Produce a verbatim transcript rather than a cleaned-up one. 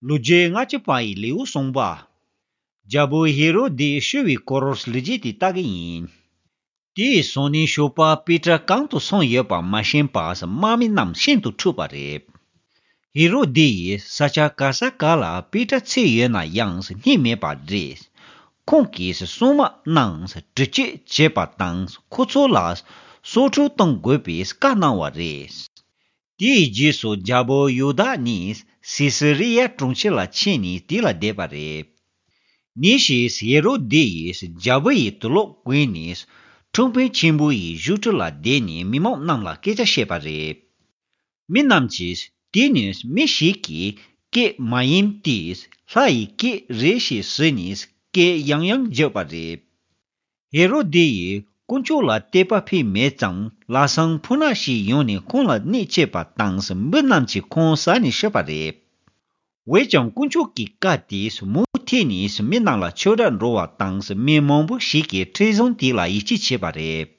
ལོ་རྒྱུས་ལྔ་བཅུ་པ་ཡི་ལེའུ་གསུམ་པ། རྒྱལ་པོ་ཧེ་རོ་དེས་ཤི་བའི་སྐོར་ལོ་རྒྱུས་དེ་ལྟ་གི་ཡིན། དེའི་སང་ཉིན་ཞོགས་པ་པེ་ཏྲ་གང་དུ་སོང་ཡོད་པ་མ་ཤེས་པར་དམག་མི་རྣམས་ཤིན་ཏུ་འཁྲུགས་པ་རེད། ཧེ་རོ་དེ་ཡིས་ས་ཆ་ག་ས་ག་ལ་པེ་ཏྲ་འཚོལ་ཡོད་ན་ཡང་རྙེད་མེད་པ་རེད། ཁོང་གིས་སྲུང་དམག་རྣམས་འདྲི་གཅོད་བྱེད་པ་དང་ཁོ་ཚོ་ལ་སོ་འཁྲུག་གཏོང་དགོས་པའི་བཀའ་གནང་བ་རེད། དེའི་རྗེས་སུ་རྒྱལ་པོ་ཡོ་དཱ་ནས་སི་སི་རི་ཡ་གྲོང་ཁྱེར་ལ་ཕྱིན་ནས་དེ་ལ་བསྡད་པ་རེད། ཉིན་ཞིག་ཧེ་རོ་དེ་ཡིས་རྒྱལ་པོ་ཡི་དུག་ལོག་གོན་ནས་ཁྲིམས་དཔོན་ཆེན་པོ་ཡི་བཞུགས་ཁྲི་ལ་བསྡད་ནས་མི་མང་རྣམས་ལ་སྐད་ཆ་བཤད་པ་རེད། མི་རྣམས་ཀྱིས་དེ་ནི་མི་ཞིག་གིས་སྐད་མ་ཡིན་ཏེ་ལྷ་ཡི་སྐད་རེད་ཞེས་ཟེར་ནས་སྐད་ཡང་ཡང་བརྗོད་པ་རེད། ཧེ་རོ་དེ་ཡིས་དཀོན་མཆོག་ལ་དད་པ་ཕེབས་མེད་ཙང་ལྷ་བཟང་ཕོ་ཉ་ཞིག་ཡོང་ནས་ཁོང་ལ་གནོད་བྱས་པ་དང་མི་རྣམས་ཀྱིས་ཁོང་ཟ་ནས་ཤི་བ་རེད། འོན་ཀྱང་དཀོན་མཆོག་གི་བཀའ་དེས་མུ་མཐུད་ནས་མི་རྣམས་ལ་ཆོས་སྒྲ་འགྲོ་བ་དང་མི་མང་པོ་ཞིག་གིས་ཁྲིམས་བཟང་དེ་ལ་ཡིད་ཆེས་བྱས་པ་རེད།